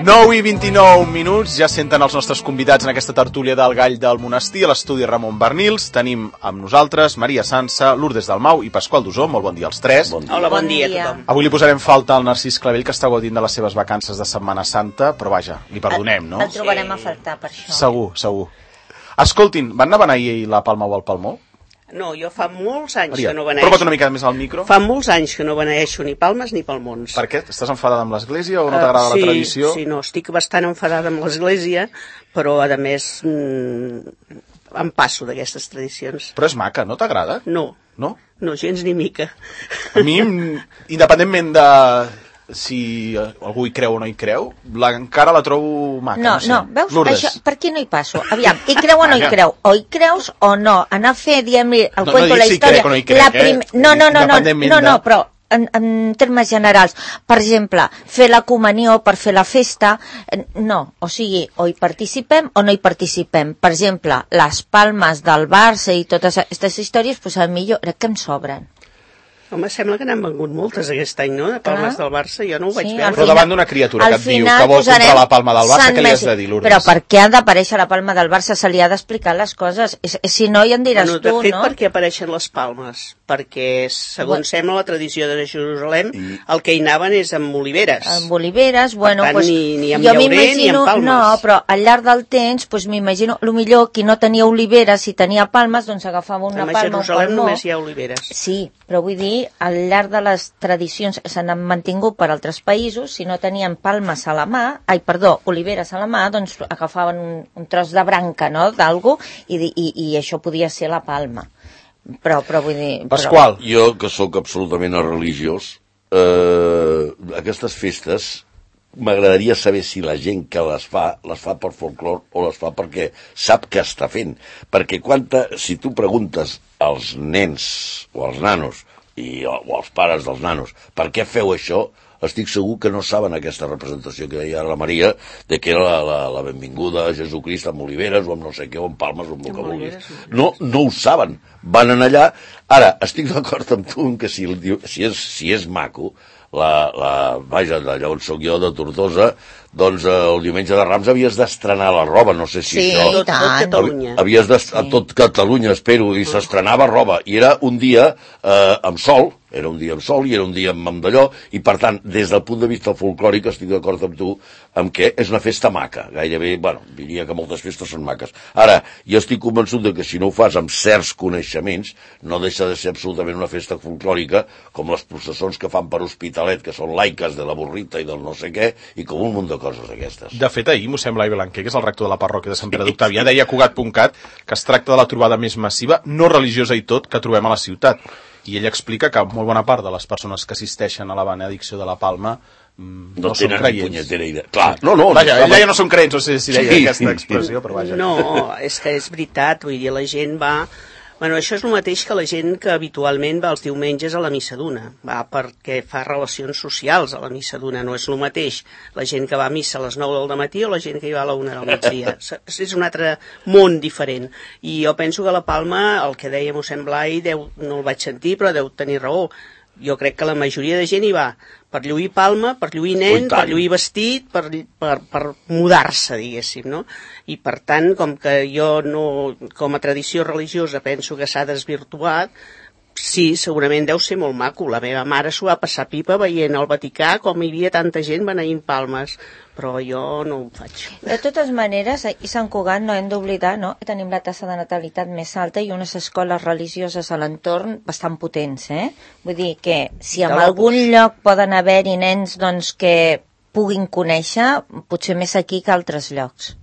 9:29, ja senten els nostres convidats en aquesta tertúlia del Gall del Monestir a l'estudi Ramon Bernils. Tenim amb nosaltres Maria Sansa, Lourdes Dalmau i Pasqual Dusó. Molt bon dia als tres. Hola, bon dia a tothom. Avui li posarem falta al Narcís Clavell, que està gaudint de les seves vacances de Setmana Santa, però vaja, li perdonem, no? El trobarem a faltar per això. Segur. Escoltin, van anar a beneir la Palma o el Palmó? No, jo fa molts anys Maria, que no beneixo. prova't una mica més al micro. Fa molts anys que no beneixo ni palmes ni palmons. Per què? Estàs enfadada amb l'església o no t'agrada la tradició? Sí, no, estic bastant enfadada amb l'església, però a més em passo d'aquestes tradicions. Però és maca, no t'agrada? No. No? No, gens ni mica. A mi, independentment de si algú hi creu o no hi creu, encara la trobo maca. No, veus? Lourdes. Això, per aquí no hi passo. Aviam, hi creu o no hi creu? O hi creus o no? Anar a fer, diguem-li, el cuento, la història... No, no dic si crec o no hi crec, No, però en termes generals, per exemple, fer la comunió per fer la festa, no, o sigui, o hi participem o no hi participem. Per exemple, les palmes del Barça i totes aquestes històries, doncs a mi jo crec que em sobren. Home, sembla que n'han vengut moltes aquest any, no?, de palmes del Barça, jo no ho vaig veure. Però davant d'una criatura que et diu que vol comprar la palma del Barça, què li has de dir, Lourdes? Però per què ha d'aparèixer la palma del Barça? Se li ha d'explicar les coses. Si no, ja en diràs tu, no? De fet, per què apareixen les palmes? Perquè, segons sembla la tradició de Jerusalem, el que hi anaven és amb oliveres. Amb oliveres, bueno, per tant, pues, ni amb llaurer ni amb palmes. No, però al llarg del temps, pues, m'imagino, millor qui no tenia oliveres i tenia palmes, doncs agafava una palma, un palmó. A Jerusalem només hi ha oliveres. Sí, però vull dir, al llarg de les tradicions s'han mantingut per altres països, si no tenien palmes a la mà, oliveres a la mà, doncs agafaven un tros de branca, no?, d'algú, i això podia ser la palma. Però vull dir... Pasqual. Jo, que sóc absolutament religiós, aquestes festes m'agradaria saber si la gent que les fa per folclor o les fa perquè sap què està fent. Perquè si tu preguntes als nens o als nanos o als pares dels nanos per què feu això, estic segur que no saben aquesta representació que deia la Maria, de que era la benvinguda a Jesucrist amb oliveres o amb no sé què, o amb palmes o amb el que vulguis. No ho saben. Van anar allà. Ara, estic d'acord amb tu que si és maco, vaja, d'allà on soc jo, de Tortosa, doncs el diumenge de Rams havies d'estrenar la roba, no sé si això... Sí, tot Catalunya. A tot Catalunya, espero, i s'estrenava roba, i era un dia amb sol, i era un dia amb d'allò, i per tant, des del punt de vista folclòric, estic d'acord amb tu, amb que és una festa maca, gairebé, diria que moltes festes són maques. Ara, jo estic convençut que si no ho fas amb certs coneixements, no deixa de ser absolutament una festa folclòrica, com les processons que fan per Hospitalet, que són laiques de la burrita i del no sé què, i com un munt de coses aquestes. De fet, ahir mossèn Blai Blanquer, que és el rector de la parròquia de Sant Pere d'Octavià, deia a Cugat.cat que es tracta de la trobada més massiva, no religiosa i tot, que trobem a la ciutat. I ell explica que molt bona part de les persones que assisteixen a la benedicció de la Palma no són creients. Clar, vaja, ell deia no són creients, no sé si deia aquesta expressió, però vaja. No, és que és veritat, vull dir, la gent va... Bueno, això és el mateix que la gent que habitualment va els diumenges a la missa d'una, va perquè fa relacions socials a la missa d'una, no és el mateix la gent que va a missa a les 9 del matí o la gent que hi va a la 1 del migdia. És un altre món diferent. I jo penso que a la Palma, el que deia mossèn Blai, no el vaig sentir, però deu tenir raó. Jo crec que la majoria de gent hi va per lluir palma, per lluir nen, per lluir vestit, per mudar-se, diguéssim, no? I per tant, com que jo no, com a tradició religiosa penso que s'ha desvirtuat, sí, segurament deu ser molt maco. La meva mare s'ho va passar pipa veient al Vaticà com hi havia tanta gent beneint palmes, però jo no ho faig. De totes maneres, a Sant Cugat no hem d'oblidar, no?, que tenim la taxa de natalitat més alta i unes escoles religioses a l'entorn bastant potents, Vull dir que si en algun lloc poden haver-hi nens doncs, que puguin conèixer, potser més aquí que altres llocs.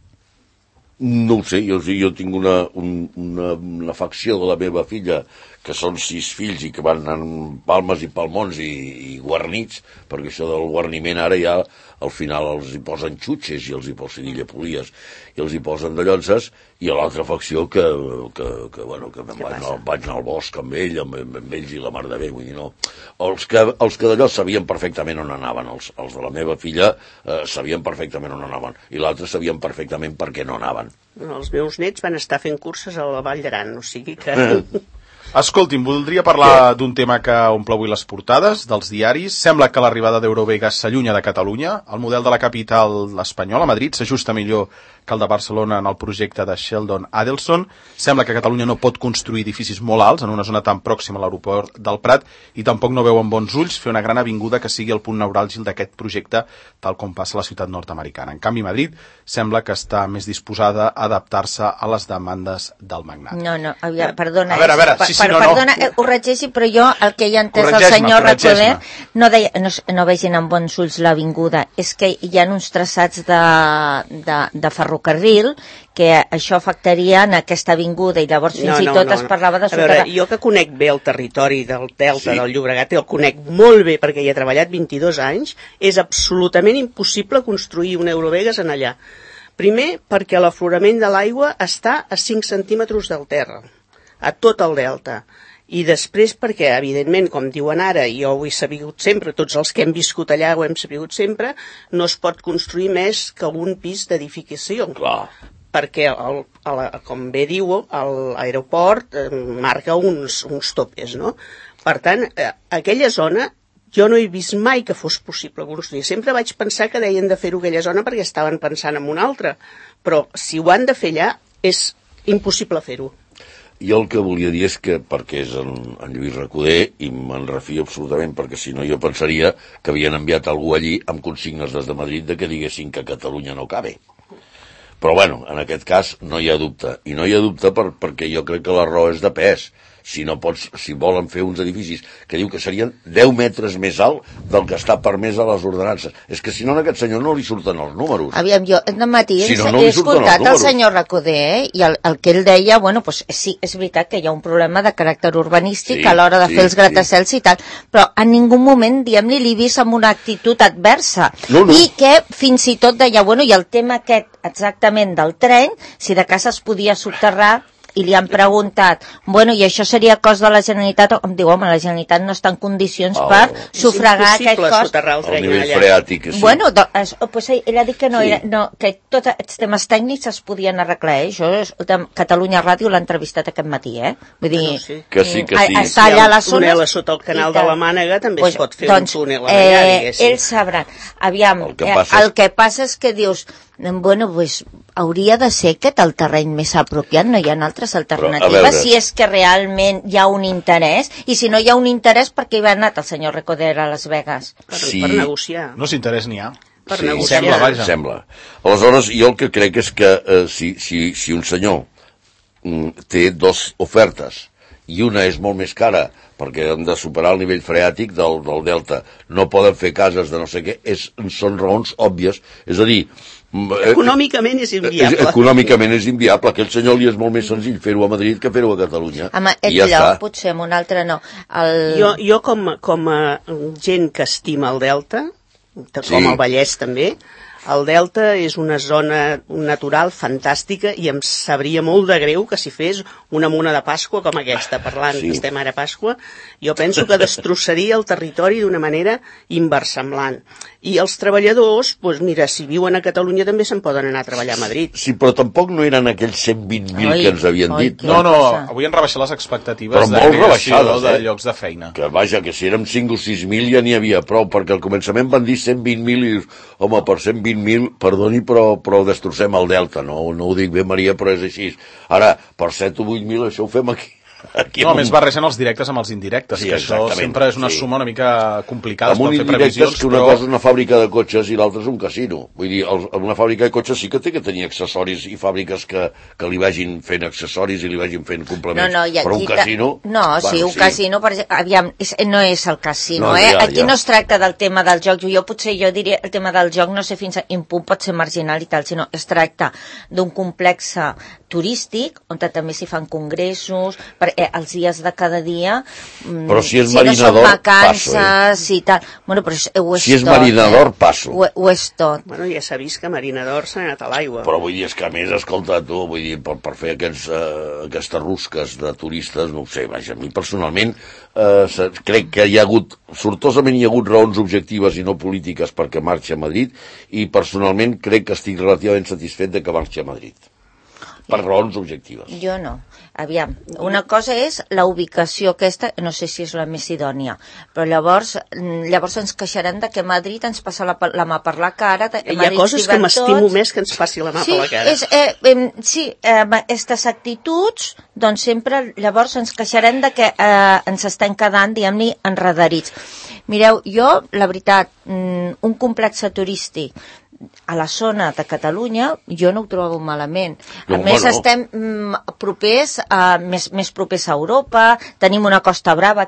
No ho sé, jo tinc una facció de la meva filla que són 6 fills i que van amb palmes i palmons i guarnits, perquè això del guarniment ara ja al final els hi posen xutxes i els hi posen llepolies i els hi posen de llonces, i a l'altra facció que vaig anar al bosc amb ells i la mar de bé, vull dir, no. Els que d'allò sabien perfectament on anaven, els de la meva filla sabien perfectament on anaven, i l'altre sabien perfectament per què no anaven. Els meus nets van estar fent curses a la Vall d'Aran, o sigui que... Escolti'm, voldria parlar d'un tema que omple avui les portades dels diaris. Sembla que l'arribada d'Eurovegas s'allunya de Catalunya. El model de la capital espanyola, Madrid, s'ajusta millor que el de Barcelona en el projecte de Sheldon Adelson. Sembla que Catalunya no pot construir edificis molt alts en una zona tan pròxima a l'aeroport del Prat i tampoc no veu amb bons ulls fer una gran avinguda que sigui el punt neuràlgic d'aquest projecte, tal com passa a la ciutat nord-americana. En canvi, Madrid sembla que està més disposada a adaptar-se a les demandes del magnat. No, perdona. A veure, sí, perdona, ho regeixi, però jo el que hi ha entès el senyor Recoder no vegin amb bons ulls l'avinguda. És que hi ha uns traçats de ferrocarril que això afectaria en aquesta avinguda i llavors fins i tot es parlava de soterrar. A veure, jo que conec bé el territori del Delta del Llobregat i el conec molt bé perquè hi he treballat 22 anys, és absolutament impossible construir un Eurovegas en allà. Primer, perquè l'aflorament de l'aigua està a 5 centímetres del terra, a tot el delta. I després perquè, evidentment, com diuen ara, i jo ho he sabut sempre, tots els que hem viscut allà ho hem sabut sempre, no es pot construir més que un pis d'edificació. Clar. Perquè, com bé diu, l'aeroport marca uns topes, no? Per tant, aquella zona jo no he vist mai que fos possible construir. Sempre vaig pensar que deien de fer-ho aquella zona perquè estaven pensant en una altra, però si ho han de fer allà és impossible fer-ho. Jo el que volia dir és que, perquè és en Lluís Recoder, i me'n refio absolutament, perquè si no jo pensaria que havien enviat algú allí amb consignes des de Madrid de que diguessin que Catalunya no cabe. Però bueno, en aquest cas no hi ha dubte. I no hi ha dubte perquè jo crec que la raó és de pes. Si volen fer uns edificis que diu que serien 10 metres més alt del que està permès a les ordenances. És que si no a aquest senyor no li surten els números. Aviam, jo de matí he escoltat el senyor Recoder i el que ell deia, bueno, pues sí, és veritat que hi ha un problema de caràcter urbanístic a l'hora de fer els gratacels i tal, però en ningú moment, diguem-li, l'he vist amb una actitud adversa. No. I que fins i tot deia, bueno, i el tema aquest exactament del tren, si de cas es podia soterrar, i li han preguntat, bueno, i això seria cost de la Generalitat? Em diu, home, la Generalitat no està en condicions per sufragar aquest cost. El nivell freàtic, sí. Bueno, pues ell ha dit que que tots els temes tècnics es podien arreglar, Això Catalunya Ràdio l'ha entrevistat aquest matí, Vull dir, que sí. Està allà a la zona. Túnel sota el canal de la Mànega també es pot fer un túnel allà, diguéssim. Ells sabran. Aviam, el que passa és que dius, bueno, pues hauria de ser aquest el terreny més apropiat, no hi ha altres alternatives, si és que realment hi ha un interès, i si no hi ha un interès, per què hi va anat el senyor Recoder a Las Vegas? Per negociar. No s'interès n'hi ha. Per negociar. Sembla. Aleshores, jo el que crec és que si un senyor té dues ofertes i una és molt més cara perquè han de superar el nivell freàtic del delta, no poden fer cases de no sé què, són raons òbvies, és a dir, econòmicament és inviable. Econòmicament és inviable. Aquell senyor li és molt més senzill fer-ho a Madrid que fer-ho a Catalunya. Amb aquest lloc, potser, amb un altre no. Jo com a gent que estima el Delta, com el Vallès també, el Delta és una zona natural fantàstica i em sabria molt de greu que si fes una mona de Pasqua com aquesta, parlant que estem ara a Pasqua, jo penso que destrossaria el territori d'una manera inversemblant. I els treballadors, doncs mira, si viuen a Catalunya també se'n poden anar a treballar a Madrid. Sí, però tampoc no eren aquells 120.000 que ens havien dit. No, avui han rebaixat les expectatives de creació de llocs de feina. Que vaja, que si érem 5 o 6.000 ja n'hi havia prou, perquè al començament van dir 120.000 i, home, per 120.000, perdoni, però destrossem el Delta, no ho dic bé, Maria, però és així. Ara, per 7 o 8.000 això ho fem aquí. No, a més barregen els directes amb els indirectes, que això sempre és una suma una mica complicada, amb un indirecte és que una cosa és una fàbrica de cotxes i l'altra és un casino. Vull dir, en una fàbrica de cotxes sí que té que tenir accessoris i fàbriques que li vagin fent accessoris i li vagin fent complements. Però un casino... No, sí, un casino, aviam, no és el casino, Aquí no es tracta del tema del joc. Jo diria el tema del joc, no sé fins a quin punt pot ser marginal i tal, sinó es tracta d'un complex turístic, on també s'hi fan congressos, els dies de cada dia, però si és marinador, no són vacances i tal. Bueno, però ho és si és tot, marinador, passo. Ho és tot. Bueno, ja s'ha vist que marinador s'ha anat a l'aigua. Però vull dir, és que a més, escolta, tu, vull dir, per fer aquestes rusques de turistes, no ho sé, vaja, a mi personalment crec que hi ha hagut, sortosament hi ha hagut raons objectives i no polítiques perquè marxi a Madrid, i personalment crec que estic relativament satisfet de que marxi a Madrid. per raons objectives. Jo no. Aviam, una cosa és la ubicació aquesta, no sé si és la més idònia, però llavors ens queixarem de que Madrid ens passa la mà per la cara. Hi ha coses que m'estimo més que ens passi la mà per la cara. Aquestes actituds, doncs sempre llavors ens queixarem de que ens estem quedant, diguem-ne, enredarits. Mireu, jo, la veritat, un complex turístic a la zona de Catalunya jo no ho trobo malament. A més, estem propers, més propers a Europa, tenim una Costa Brava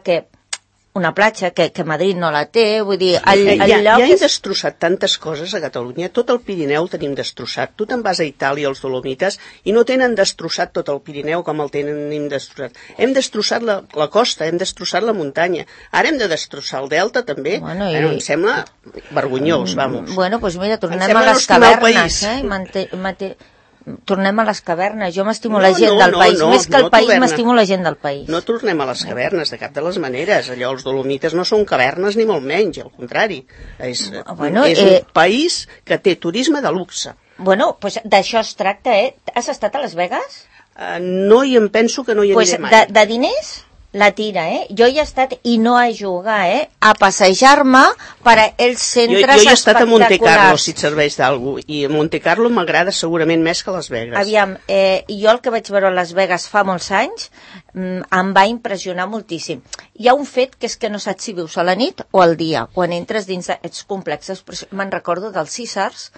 una platja que Madrid no la té, vull dir... Ja hem destrossat tantes coses a Catalunya, tot el Pirineu tenim destrossat. Tu te'n vas a Itàlia, als Dolomites, i no tenen destrossat tot el Pirineu com el tenim destrossat. Hem destrossat la costa, hem destrossat la muntanya. Ara hem de destrossar el delta, també. Bueno, em sembla vergonyós, vamos. Bueno, doncs mira, tornem a les cavernes, tornem a les cavernes. Jo m'estimo la gent del país. Més que el país, m'estimo la gent del país. No tornem a les cavernes, de cap de les maneres. Allò, els Dolomites no són cavernes ni molt menys, al contrari. És un país que té turisme de luxe. Bueno, doncs d'això es tracta, Has estat a Las Vegas? No, i em penso que no hi aniré mai. De diners? La tira, Jo hi he estat, i no a jugar, a passejar-me per a els centres espectaculars. Jo he estat a Monte Carlo, si et serveix d'algú, i a Monte Carlo m'agrada segurament més que Las Vegas. Aviam, jo el que vaig veure a Las Vegas fa molts anys em va impressionar moltíssim. Hi ha un fet que és que no saps si vius a la nit o al dia, quan entres dins d'aquests complexes. Me'n recordo del Caesars,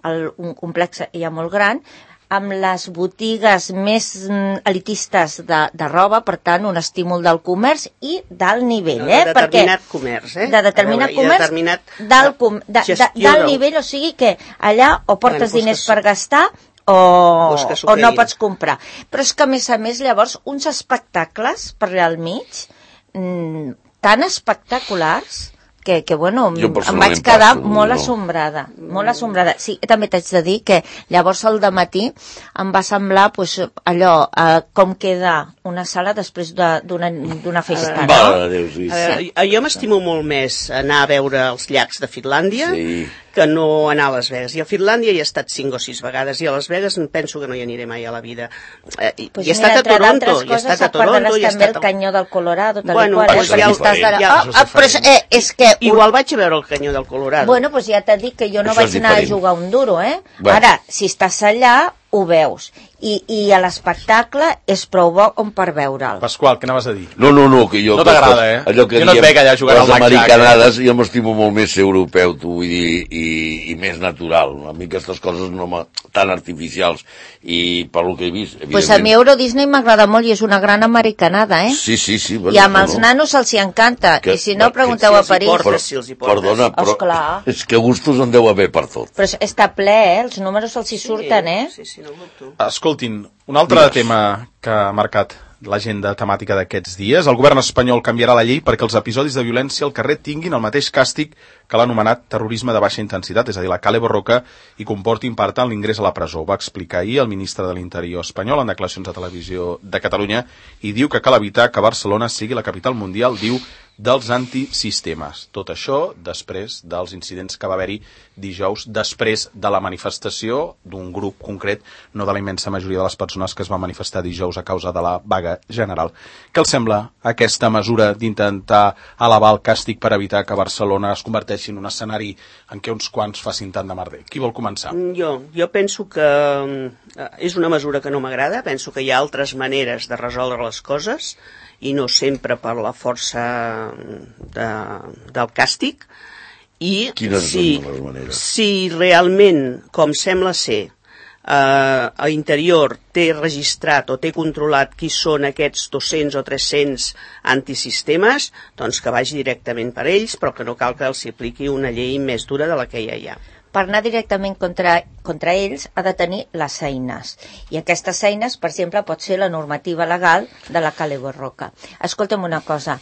un complex ja molt gran, amb les botigues més elitistes de roba, per tant, un estímul del comerç i d'alt nivell. De determinat comerç, De determinat comerç, d'alt nivell, o sigui que allà o portes diners per gastar o no pots comprar. Però és que, a més, llavors, uns espectacles per allà al mig, tan espectaculars, que bueno, em vaig quedar molt assombrada, molt assombrada. Sí, també t'haig de dir que llavors al dematí em va semblar allò, com queda una sala després d'una festa, no? Jo m'estimo molt més anar a veure els llacs de Finlàndia que no anar a Las Vegas. I a Finlàndia hi he estat 5 o 6 vegades, i a Las Vegas penso que no hi aniré mai a la vida. Hi he estat a Toronto, hi he estat a Toronto, hi he estat al Canyó del Colorado, bueno, és que... Igual vaig a veure el Canyó del Colorado. Bueno, doncs ja t'he dit que jo no vaig anar a jugar un duro, Ara, si estàs allà, ho veus. I a l'espectacle és prou bo com per veure'l. Pasqual, què anaves a dir? No, que jo... No t'agrada, allò que jo no et veig allà jugant al blackjack. Les americanades, jo m'estimo molt més ser europeu, vull dir, i més natural. A mi aquestes coses tan artificials. I per lo que he vist... Pues a mi Euro Disney m'agrada molt i és una gran americanada, Sí. I amb els nanos els hi encanta. I si no, pregunteu a París. Perdona, però és que gustos en deu haver per tot. Però està ple, els números els hi surten, Sí, no ho dubto. Escoltin, un altre tema que ha marcat l'agenda temàtica d'aquests dies. El govern espanyol canviarà la llei perquè els episodis de violència al carrer tinguin el mateix càstig que l'ha anomenat terrorisme de baixa intensitat, és a dir, la Kale Borroka, i comportin, per tant, l'ingrés a la presó. Ho va explicar ahir el ministre de l'Interior espanyol en declaracions a Televisió de Catalunya i diu que cal evitar que Barcelona sigui la capital mundial, diu, dels antisistemes. Tot això després dels incidents que va haver-hi dijous, després de la manifestació d'un grup concret, no de la immensa majoria de les persones que es van manifestar dijous a causa de la vaga general. Què els sembla aquesta mesura d'intentar elevar el càstig per evitar que Barcelona es converteixi en un escenari en què uns quants facin tant de merder? Qui vol començar? Jo penso que és una mesura que no m'agrada, penso que hi ha altres maneres de resoldre les coses, i no sempre per la força del càstig. I quines són les maneres? Si realment, com sembla ser, a Interior té registrat o té controlat qui són aquests 200 o 300 antisistemes, doncs que vagi directament per ells, però que no cal que els apliqui una llei més dura de la que ja hi ha. Per anar directament contra ells ha de tenir les eines. I aquestes eines, per exemple, pot ser la normativa legal de la Kale Borroka. Escolta'm una cosa,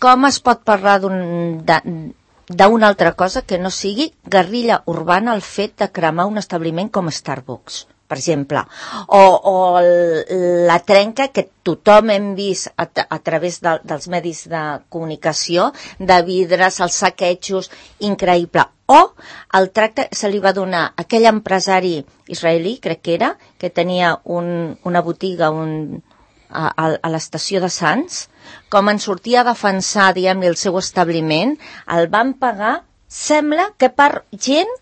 com es pot parlar d'una altra cosa que no sigui guerrilla urbana el fet de cremar un establiment com Starbucks, per exemple, o la trenca que tothom hem vist a través dels medis de comunicació, de vidres, els saquejos, increïble. o el tracte se li va donar a aquell empresari israelí, crec que era, que tenia una botiga a l'estació de Sants, com en sortia a defensar, diguem-ne, el seu establiment, el van pagar, sembla que per gent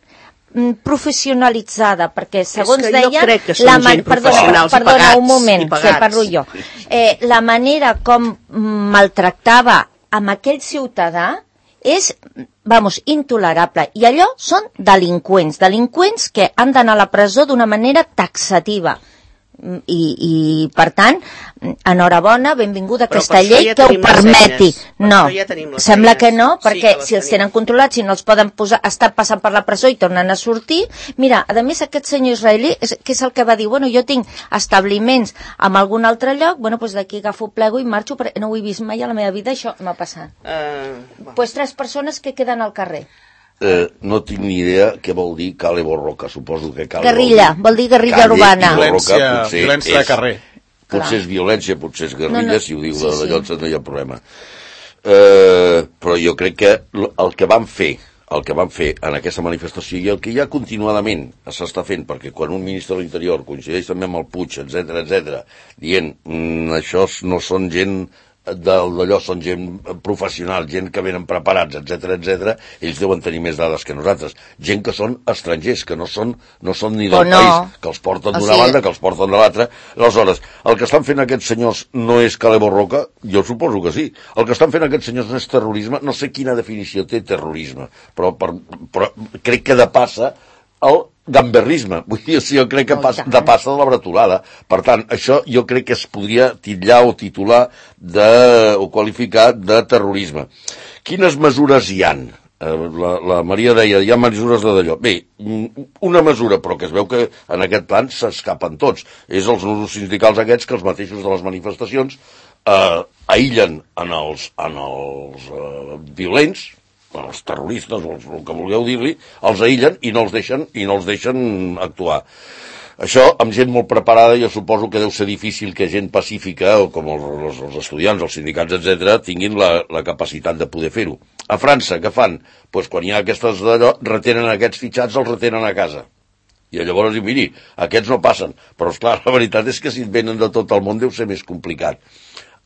professionalitzada, perquè segons deia perdona un moment, que parlo jo, la manera com maltractava amb aquell ciutadà és, intolerable, i allò són delinqüents que han d'anar a la presó d'una manera taxativa. I per tant, enhorabona, benvinguda aquesta llei que ho permeti. No, sembla que no, perquè si els tenen controlats, si no els poden posar, estar passant per la presó i tornen a sortir. Mira, a més aquest senyor israelí, que és el que va dir, jo tinc establiments en algun altre lloc, d'aquí agafo, plego i marxo, perquè no ho he vist mai a la meva vida, això m'ha passat. 3 persones que queden al carrer. No tinc ni idea què vol dir Cale Borroca, suposo que Cale guerrilla, vol dir guerrilla urbana. Violència de carrer. Potser és violència, potser és guerrilla, si ho diu d'allò no hi ha problema. Però jo crec que el que van fer en aquesta manifestació i el que ja continuadament s'està fent, perquè quan un ministre de l'Interior coincideix també amb el Puig, etc, dient això no són gent d'allò, són gent professional, gent que venen preparats, etc, ells deuen tenir més dades que nosaltres, gent que són estrangers, que no són ni del país, que els porten d'una banda, que els porten de l'altra. Aleshores, el que estan fent aquests senyors no és Cale Borroca? Jo suposo que sí. El que estan fent aquests senyors no és terrorisme? No sé quina definició té terrorisme, però crec que depassa el gamberrisme, vull dir, jo crec que depassa de la bretolada. Per tant, això jo crec que es podria titllar o titular o qualificar de terrorisme. Quines mesures hi han? La Maria deia, hi ha mesures d'allò. Bé, una mesura, però que es veu que en aquest plan s'escapen tots, és els nusos sindicals aquests que els mateixos de les manifestacions aïllen en els violents, els terroristes, o el que vulgueu dir-li, els aïllen i no els deixen actuar. Això, amb gent molt preparada, jo suposo que deu ser difícil que gent pacífica, o com els estudiants, els sindicats, etc., tinguin la capacitat de poder fer-ho. A França, què fan? Doncs quan hi ha aquestes d'allò, retenen aquests fitxats, els retenen a casa. I llavors, miri, aquests no passen. Però, esclar, la veritat és que si venen de tot el món deu ser més complicat.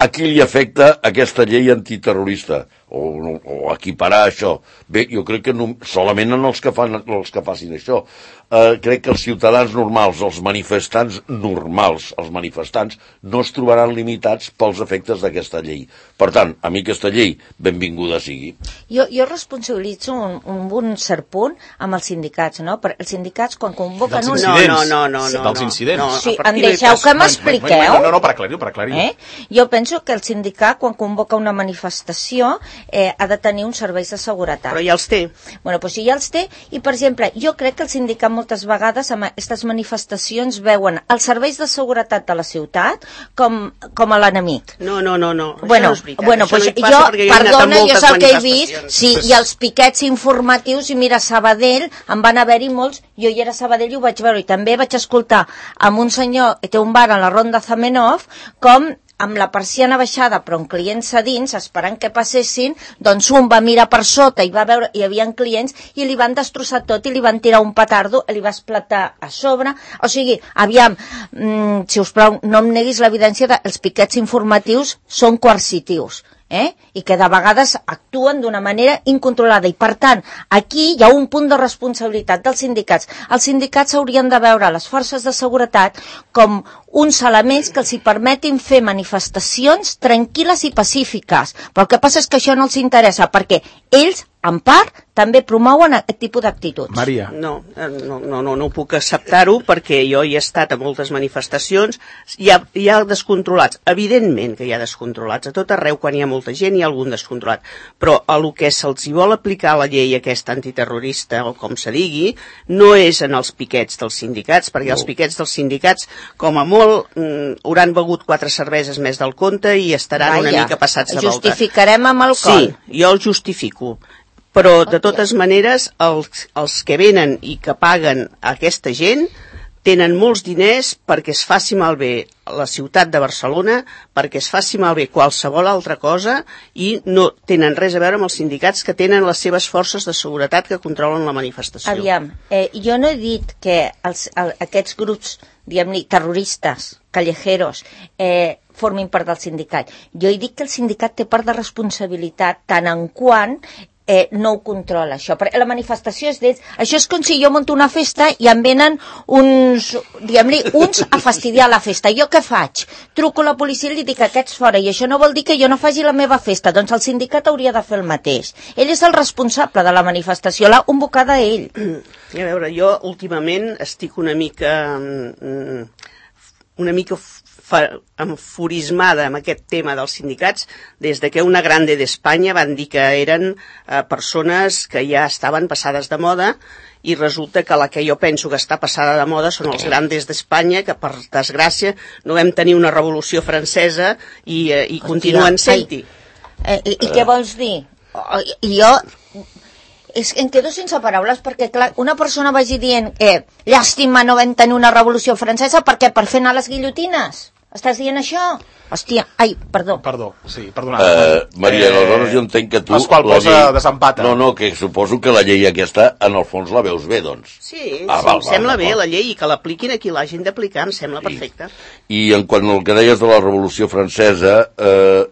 A qui li afecta aquesta llei antiterrorista? O equiparar això? Bé, jo crec que solament en els que facin això. Crec que els ciutadans normals, els manifestants normals, els manifestants, no es trobaran limitats pels efectes d'aquesta llei. Per tant, a mi aquesta llei, benvinguda sigui. Jo responsabilitzo un cert punt amb els sindicats, no? Els sindicats, quan convoquen un... Dels incidents. Sí, em deixeu que m'expliqueu? No, per aclarir. Jo penso que el sindicat, quan convoca una manifestació, ha de tenir uns serveis de seguretat. Però ja els té. Doncs sí, ja els té. I, per exemple, jo crec que el sindicat moltes vegades amb aquestes manifestacions veuen els serveis de seguretat de la ciutat com a l'enemic. No. Bueno, pues jo, perdona, jo és el que he vist, sí, i els piquets informatius, i mira, a Sabadell en van haver-hi molts, jo hi era a Sabadell i ho vaig veure, i també vaig escoltar amb un senyor que té un bar a la Ronda Zamenhof, com amb la persiana baixada però amb clients a dins, esperant que passessin, doncs un va mirar per sota i va veure, hi havia clients, i li van destrossar tot i li van tirar un petardo, li va esclatar a sobre. O sigui, aviam, si us plau, no em neguis l'evidència dels piquets informatius són coercitius. I que de vegades actuen d'una manera incontrolada, i per tant aquí hi ha un punt de responsabilitat dels sindicats. Els sindicats haurien de veure les forces de seguretat com uns elements que els hi permetin fer manifestacions tranquil·les i pacífiques, però el que passa és que això no els interessa, perquè ells en part també promouen aquest tipus d'actituds. Maria. No puc acceptar-ho, perquè jo hi he estat a moltes manifestacions, hi ha descontrolats, evidentment que hi ha descontrolats, a tot arreu quan hi ha molta gent hi ha algun descontrolat, però a lo que se'ls hi vol aplicar la llei aquesta antiterrorista, o com se digui, no és en els piquets dels sindicats, perquè els piquets dels sindicats, com a molt, hauran begut 4 cerveses més del compte i estaran una mica passats de volta. Justificarem amb alcohol. Sí, jo el justifico. Però, de totes maneres, els que venen i que paguen aquesta gent tenen molts diners perquè es faci malbé la ciutat de Barcelona, perquè es faci malbé qualsevol altra cosa i no tenen res a veure amb els sindicats que tenen les seves forces de seguretat que controlen la manifestació. Aviam, jo no he dit que aquests grups, diguem-ne, terroristes, callejeros, formin part del sindicat. Jo he dit que el sindicat té part de responsabilitat tant en quant no ho controla, això. Perquè la manifestació és d'ells. Això és com si jo monto una festa i em venen uns, diguem-li, uns a fastidiar la festa. Jo què faig? Truco a la policia i li dic que aquests fora, i això no vol dir que jo no faci la meva festa. Doncs el sindicat hauria de fer el mateix. Ell és el responsable de la manifestació, l'ha convocada ell. A veure, jo últimament estic una mica enfurismada amb aquest tema dels sindicats des de que una grande d'Espanya van dir que eren persones que ja estaven passades de moda i resulta que la que jo penso que està passada de moda són els grandes d'Espanya, que per desgràcia no vam tenir una revolució francesa i continuen sent-hi. I què vols dir? Jo em quedo sense paraules perquè, clar, una persona vagi dient llàstima no vam tenir una revolució francesa perquè per fer anar les guillotines. Estàs dient això? Hòstia, perdó. Perdó, sí, perdona. Maria, aleshores jo entenc que tu... El qual posa desempata. No, que suposo que la llei aquesta, en el fons, la veus bé, doncs. Sí, em sembla bé la llei i que l'apliquin a qui l'hagin d'aplicar, em sembla perfecte. I en quant al que deies de la Revolució Francesa,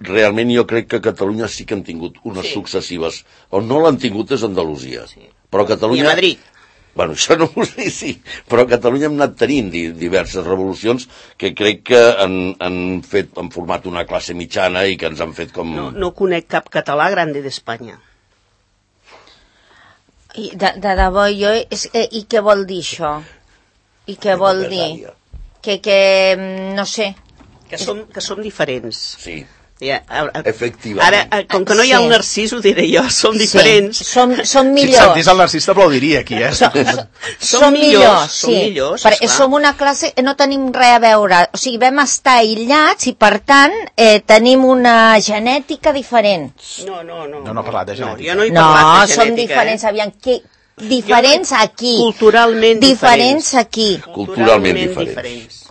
realment jo crec que a Catalunya sí que han tingut unes successives. On no l'han tingut és Andalusia. Però Catalunya... I a Madrid. Bueno, això no ho sé, sí, però a Catalunya hem anat tenint diverses revolucions que crec que han format una classe mitjana i que ens han fet com... No conec cap català grande d'Espanya. De debò, jo... I què vol dir això? I què vol dir? Que no sé... Que som diferents. Sí. Efectivament. Ara, com que no hi ha el Narcís, ho diré jo, som diferents. Som millors. Si sentís el Narcís t'aplaudiria aquí, Som millors, sí. Perquè som una classe, no tenim res a veure. O sigui, vam estar aïllats i, per tant, tenim una genètica diferent. No. No ha parlat de genètica. Jo no he parlat de genètica. Som diferents, aviam, diferents aquí. Culturalment diferents aquí. Culturalment diferents.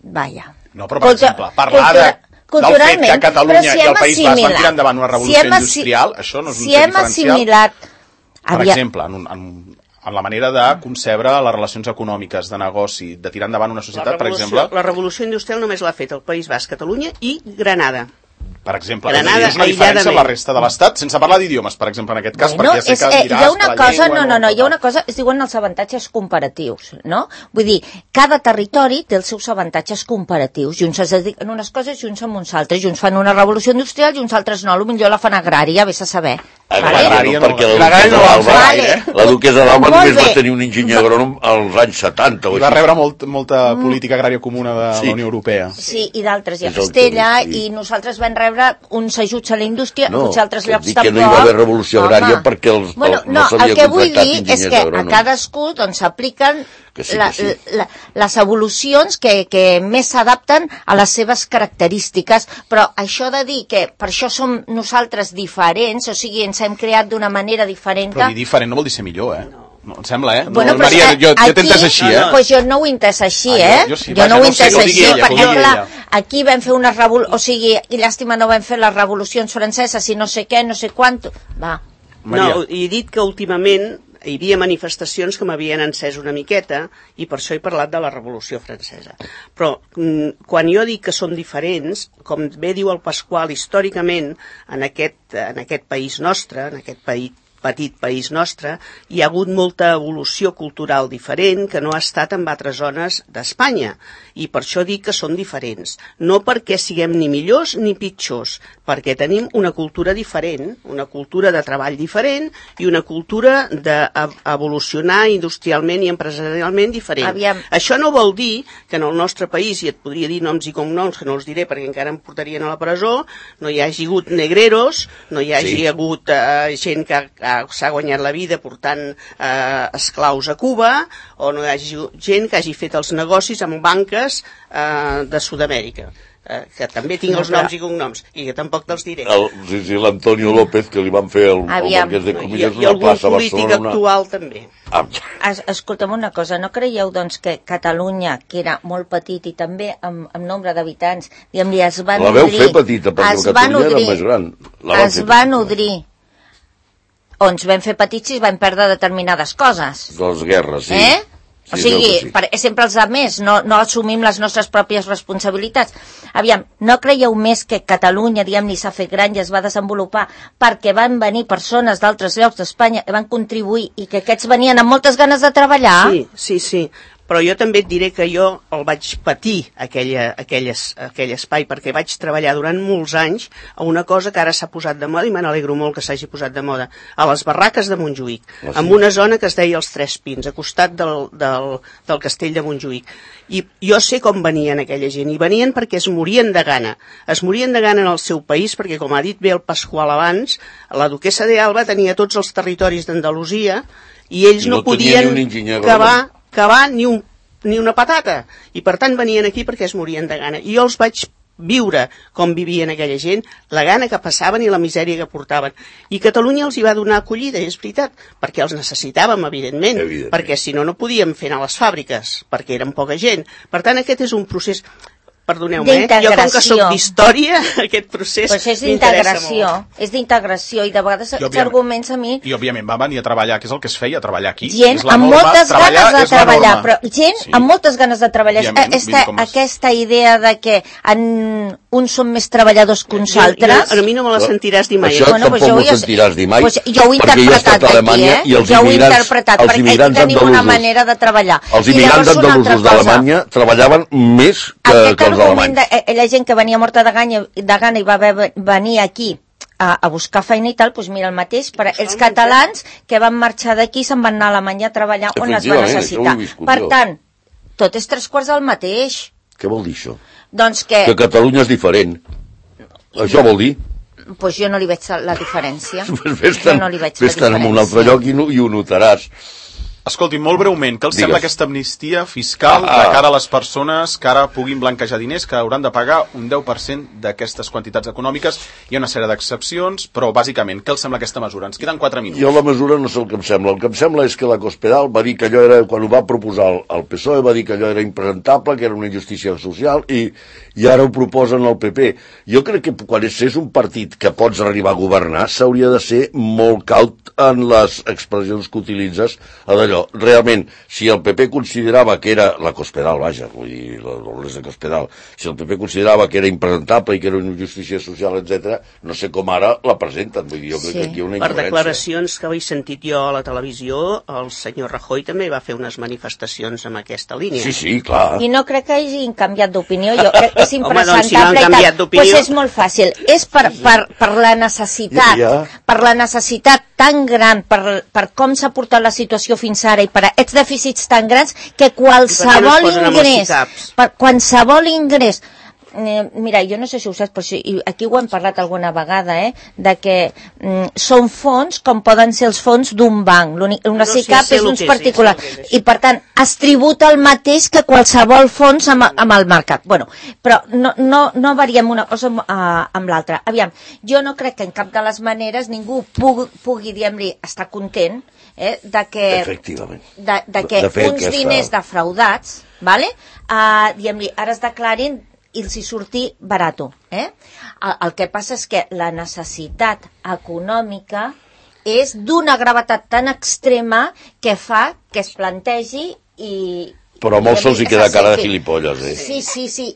Vaja. No, però, per exemple, parlar del fet que a Catalunya i el País Basc van tirar endavant una revolució industrial, això no és un fet diferencial. Per exemple, en la manera de concebre les relacions econòmiques, de negoci, de tirar endavant una societat, per exemple... La revolució industrial només l'ha fet el País Basc, Catalunya i Granada. Per exemple, és una diferència amb la resta de l'Estat, sense parlar d'idiomes, per exemple, en aquest cas, perquè ja sé que diràs hi ha una cosa, hi ha una cosa, es diuen els avantatges comparatius, no? Vull dir, cada territori té els seus avantatges comparatius, i uns es dediquen a unes coses i uns a uns altres, i uns fan una revolució industrial i uns altres no, potser la fan agrària, vés a saber. Agrària no, perquè la duquesa d'Alba només va tenir un enginyer agrònom als anys 70. I va rebre molta política agrària comuna de la Unió Europea. Sí, i d'altres, i a Castella, i nosaltres vam rebre uns ajuts a la indústria, uns altres llocs tampoc. Que no hi va haver revolució agrària perquè no s'havia contractat enginyers agrònoms. El que vull dir és que a cadascú s'apliquen les evolucions que més s'adapten a les seves característiques, però això de dir que per això som nosaltres diferents, o sigui, ens hem creat d'una manera diferent... Però dir diferent no vol dir ser millor, No, em sembla, Bueno, Maria, jo t'he entès així, Pues jo no ho he entès així, Jo no ho he entès així, perquè, clar, aquí vam fer una revolució, o sigui, i llàstima no vam fer les revolucions franceses i no sé què, no sé quant... Va. No, he dit que últimament hi havia manifestacions que m'havien encès una miqueta i per això he parlat de la Revolució Francesa. Però quan jo dic que som diferents, com bé diu el Pasqual, històricament en aquest país nostre, en aquest petit país nostre, hi ha hagut molta evolució cultural diferent que no ha estat en altres zones d'Espanya. I per això dic que són diferents. No perquè siguem ni millors ni pitjors, perquè tenim una cultura diferent, una cultura de treball diferent i una cultura d'evolucionar industrialment i empresarialment diferent. Això no vol dir que en el nostre país, i et podria dir noms i cognoms, que no els diré perquè encara em portarien a la presó, no hi hagi hagut negreros, no hi hagi hagut gent que s'ha guanyat la vida portant esclaus a Cuba, o no hi hagi gent que hagi fet els negocis amb banques de Sud-amèrica. que també tinc els noms i cognoms, i que tampoc te'ls diré. Sí, l'Antonio López, que li van fer el Marquès de Comillas I algun polític actual també. Escolta'm una cosa, no creieu doncs que Catalunya, que era molt petit i també amb nombre d'habitants, diguem-li, es va nodrir... La veu fer petita, perquè Catalunya era més gran. Es va nodrir. On ens vam fer petits i vam perdre determinades coses. De les guerres, sí. O sigui, sempre els altres, no assumim les nostres pròpies responsabilitats. Aviam, no creieu més que Catalunya, diguem-ne, s'ha fet gran i es va desenvolupar perquè van venir persones d'altres llocs d'Espanya que van contribuir i que aquests venien amb moltes ganes de treballar? Sí. Però jo també et diré que jo el vaig patir, aquell espai, perquè vaig treballar durant molts anys a una cosa que ara s'ha posat de moda, i me n'alegro molt que s'hagi posat de moda, a les barraques de Montjuïc, en una zona que es deia els Tres Pins, a costat del castell de Montjuïc. I jo sé com venien aquella gent, i venien perquè es morien de gana. Es morien de gana en el seu país, perquè, com ha dit bé el Pasqual abans, la duquessa d'Alba tenia tots els territoris d'Andalusia, i ells no podien cavar ni una patata, i per tant venien aquí perquè es morien de gana, i jo els vaig viure com vivien aquella gent, la gana que passaven i la misèria que portaven, i Catalunya els hi va donar acollida, és veritat, perquè els necessitàvem, evidentment. Perquè si no podíem fer anar a les fàbriques, perquè érem poca gent. Per tant, aquest és un procés... Perdoneu-me, jo com que soc d'història, aquest procés m'interessa molt. És d'integració, i de vegades s'arguments a mi... I òbviament va venir a treballar, que és el que es feia, a treballar aquí. Gent amb moltes ganes de treballar, però gent amb moltes ganes de treballar. Aquesta idea de que uns són més treballadors que uns altres... A mi no me la sentiràs dir mai. Això tampoc m'ho sentiràs dir mai, jo ho he interpretat aquí, jo ho he interpretat, perquè aquí tenim una manera de treballar. Els immigrants andalusos d'Alemanya treballaven més que els la gent que venia morta de gana i va venir aquí a buscar feina i tal, doncs mira el mateix, però els catalans que van marxar d'aquí se'n van anar a Alemanya a treballar on es va necessitar. Per tant, tot és 3/4 del mateix. Què vol dir això? Doncs que Catalunya és diferent. Això vol dir? Doncs jo no li veig la diferència. Fes-te'n en un altre lloc i ho notaràs. Escolti, molt breument, què els sembla aquesta amnistia fiscal de cara a les persones que ara puguin blanquejar diners, que hauran de pagar un 10% d'aquestes quantitats econòmiques? Hi ha una sèrie d'excepcions, però bàsicament, què els sembla aquesta mesura? Ens queden 4 minuts. Jo la mesura no sé el que em sembla. El que em sembla és que la Cospedal va dir que allò era, quan ho va proposar el PSOE, va dir que allò era impresentable, que era una injustícia social, i ara ho proposen al PP. Jo crec que quan és un partit que pots arribar a governar, s'hauria de ser molt caut en les expressions que utilitzes a d'allò. Realment, si el PP considerava que era la Cospedal, vaja, vull dir, l'Olés de Cospedal, si el PP considerava que era impresentable i que era una injustícia social, etc., no sé com ara la presenten. Vull dir, jo crec que aquí hi ha una incoherència. Per declaracions que he sentit jo a la televisió, el senyor Rajoy també va fer unes manifestacions amb aquesta línia. Sí, clar. I no crec que hagin canviat d'opinió. Jo crec que és impresentable. Home, doncs, si no han canviat d'opinió... Pues és molt fàcil. És per la necessitat, per la necessitat tan gran, per com s'ha portat la situació fins ara i per aquests dèficits tan grans que qualsevol ingrés, mira, jo no sé si ho saps, però aquí ho hem parlat alguna vegada, de que són fons com poden ser els fons d'un banc. Una SICAP és uns particulars. I, per tant, es tributa el mateix que qualsevol fons amb el mercat. Bueno, però no variem una cosa amb l'altra. Aviam, jo no crec que en cap de les maneres ningú pugui diguem-li, estar content de que uns diners defraudats, diguem-li, ara es declarin i els hi surti barato. El que passa és que la necessitat econòmica és d'una gravetat tan extrema que fa que es plantegi i... Però a molts se'ls hi queda cara de gilipolles, Sí,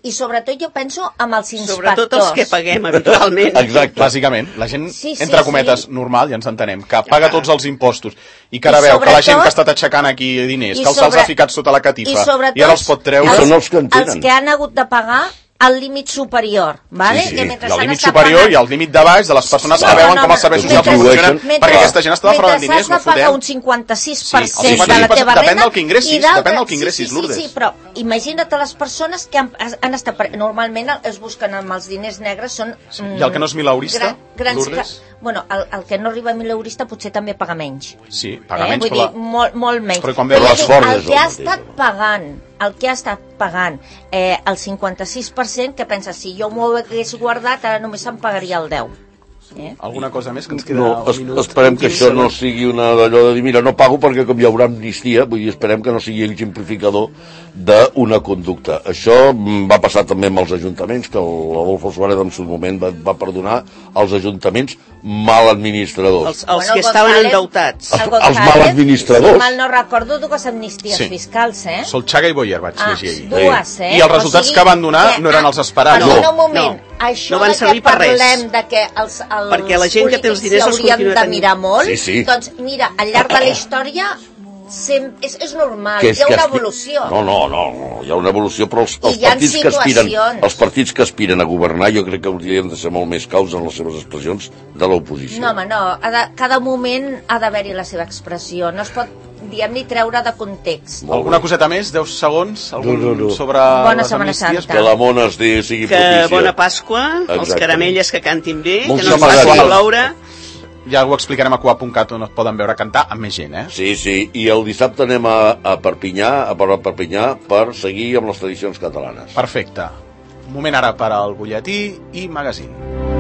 i sobretot jo penso amb els inspectors. Sobretot els que paguem habitualment. Exacte. Bàsicament, la gent, entre cometes, normal, ja ens entenem, que paga tots els impostos i que ara veu que la gent que ha estat aixecant aquí diners, que se'ls ha ficat sota la catifa i ara els pot treure... Els que han hagut de pagar el límit superior, ¿vale? Sí. El límit superior i el límit de baix de les persones que veuen com els serveis socials funcionen, perquè aquesta gent està defraudant diners, no fotem. Mentre has de pagar un 56% de la teva renda... Depèn del que ingressis, Lourdes. Sí, però imagina't les persones que han estat... Normalment es busquen amb els diners negres, són... I el que no és mileurista, Lourdes? Bueno, el que no arriba a mileurista potser també paga menys. Sí, paga menys, vull dir, molt menys. Però quan veu el que ha estat pagant el que ha estat pagant el 56%, que pensa, si jo m'ho hagués guardat, ara només se'm pagaria el 10%. Alguna cosa més que ens queda No, un minut? esperem que això no sigui una d'allò de dir, mira, no pago perquè com hi haurà amnistia, vull dir, esperem que no sigui exemplificador d'una conducta. Això va passar també amb els ajuntaments, que l'Adolfo Suárez en seu moment va perdonar els ajuntaments mal administradors. Els que estaven endeutats. Els mal administradors. Si mal no recordo, dues amnisties fiscals, Solchaga i Boyer vaig llegir ahir. Dues, I els resultats que van donar no eren els esperats. Perdona un moment, això no van servir que per res. parlem de que els perquè la gent que té els diners els haurien continua de tenint. mirar molt, Sí. doncs mira, al llarg de la història és normal, Que hi ha una evolució. No, hi ha una evolució, però els hi ha partits que aspiren a governar jo crec que haurien de ser molt més caus en les seves expressions de l'oposició. No, home, no, cada moment ha d'haver-hi la seva expressió, no es pot, diguem-li, treure de context. Alguna coseta més? 10 segons? No. Sobre Bona les Setmana amnisties? Santa. Que la mona sigui Que propícia. bona Pasqua, els Exactament. caramelles que cantin bé, Molts que no ens amarats. faci ploure. Ja ho explicarem a Cuap.cat on es poden veure cantar amb més gent, Sí, i el dissabte anem a Perpinyà, per seguir amb les tradicions catalanes. Perfecte. Un moment ara per al butlletí i magazín.